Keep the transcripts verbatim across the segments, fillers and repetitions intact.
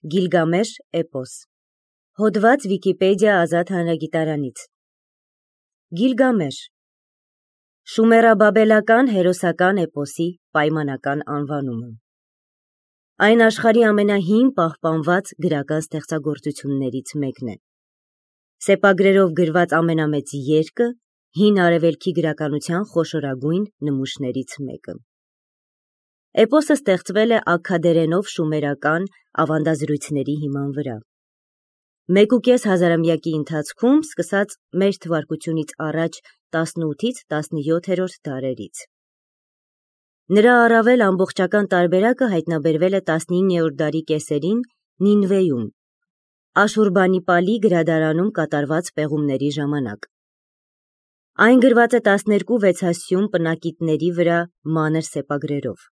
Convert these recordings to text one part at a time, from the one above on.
Գիլգամեշ էպոս։ Հոդված Վիկիպեդիա ազատ հանրագիտարանից։ Գիլգամեշ շումերաբաբելական հերոսական էպոսի պայմանական անվանումը։ Այն աշխարհի ամենահին պահպանված գրական ստեղծագործություններից մեկն է։ Սեպագրերով գրված ամենամեծ երկը, հին արևելքի գրականության խոշորագույն նմուշներից մեկը։ Էպոսը ստեղծվել է աքքադերենով շումերական ավանդազրույցների հիման վրա։ Մեկ ու կես հազարամյակի ընթացքում, սկսած մեր թվարկությունից առաջ տասնութից տասնյոթերորդ դարերից։ Նրա առավել ամբողջական տարբերակը հայտնաբերվել է տասնիններորդ դարի կեսերին Նինվեում, Աշուրբանիպալի գրադարանում կատարված պեղումների ժամանակ։ Այն գրված է տասներկու վեցասյուն պնակիտների վրա մանր սեպագրերով։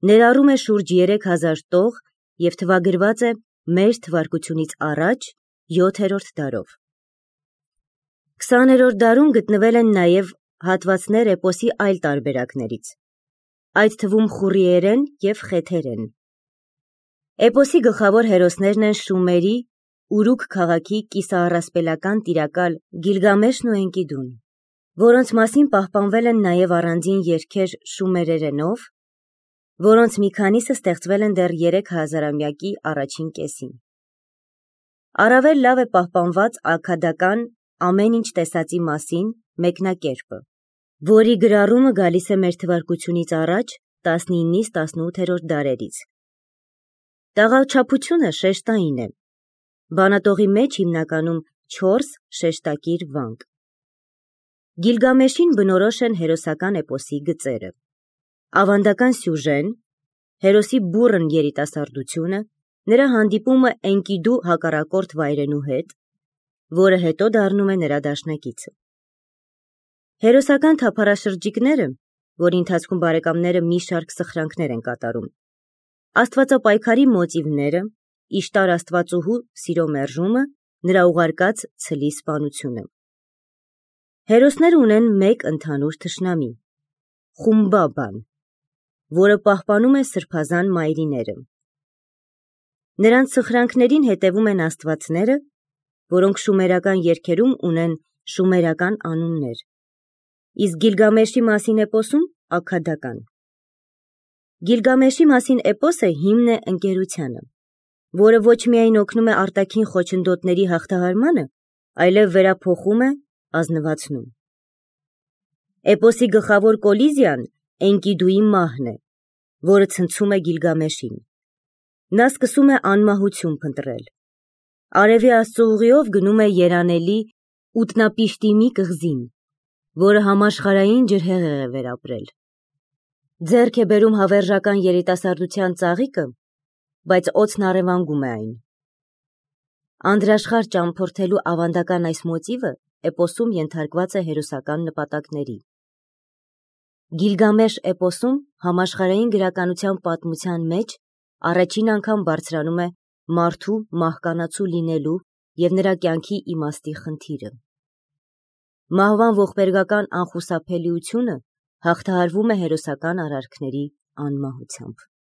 Ներառում է շուրջ երեք հազար տող և թվագրված է մեր թվարկությունից առաջ յոթերորդ դարով։ Քսաներորդ դարում գտնվել են նաև հատվածներ էպոսի այլ տարբերակներից, այդ թվում խուրիերեն և խեթերեն։ Էպոսի գլխավոր հերոսներն են Շումերի Ուրուք քաղաքի կիսաառասպելական տիրակալ Գիլգամեշն ու Էնկիդուն, որոնց մասին պահպանվել են նաև առանձին երգեր շումերերենով, որոնց մի քանիսը ստեղծվել են դեռ երեք հազարամյակի առաջին կեսին։ Առավել լավ է պահպանված աքքադական ամեն ինչ տեսածի մասին մեկնակերպը, որի գրառումը գալիս է մեր թվարկությունից առաջ տասնինից տասնութերորդ դարերից։ Տաղաչափությունը շեշտային է, բանատողի մեջ հիմնականում չորս շեշտակիր վանք։ Գիլգամեշին բնորոշ են հերոսական էպոսի գծերը, ավանդական սյուժեն, հերոսի բուռն երիտասարդությունը, նրա հանդիպումը Էնկիդու հակառակորդ վայրենու հետ, որը հետո դառնում է նրա դաշնակիցը։ Հերոսական թափառաշրջիկները, որի ընթացքում բարեկամները մի շարք սխրանքներ են կատարում, աստվածապայքարի մոտիվները, Իշտար աստվածուհու սիրո մերժումը, նրա ուղարկած ցլի սպանությունը։ Հերոսները ունեն մեկ ընդհանուր թշնամի՝ Խումբաբան, որը պահպանում է սրբազան մայրիները։ Նրանց սխրանքներին հետևում են աստվածները, որոնք շումերական երգերում ունեն շումերական անուններ, իսկ Գիլգամեշի մասին էպոսում աքքադական։ Գիլգամեշի մասին էպոսը հիմն է ընկերությանը, որը ոչ միայն օգնում է արտաքին խոչընդոտների հաղթահարմանը, այլև վերափոխում է, ազնվացնում։ Էպոսի գլխավոր կոլիզիան Էնկիդուի մահն է, որը ցնցում է Գիլգամեշին։ Նա սկսում է անմահություն փնտրել։ Արևի աստծու ուղիով գնում է երանելի Ուտնապիշտիմի կղզին, որը համաշխարհային ջրհեղեղ է վերապրել։ Ձեռք է բերում հավերժական երիտասարդության ծաղիկը, բայց օդն առևանգում է այն։ Անդրաշխարհ ճամփորդելու ավանդական այս մոտիվը էպոսում ենթարկված է հերոսական նպատակների։ Գիլգամեշ էպոսում համաշխարհային գրականության պատմության մեջ առաջին անգամ բարձրանում է մարդու մահկանացու լինելու և նրա կյանքի իմաստի խնդիրը։ Մահվան ողբերգական անխուսափելիությունը հաղթահարվում է հերոսական արարքների անմահությամբ։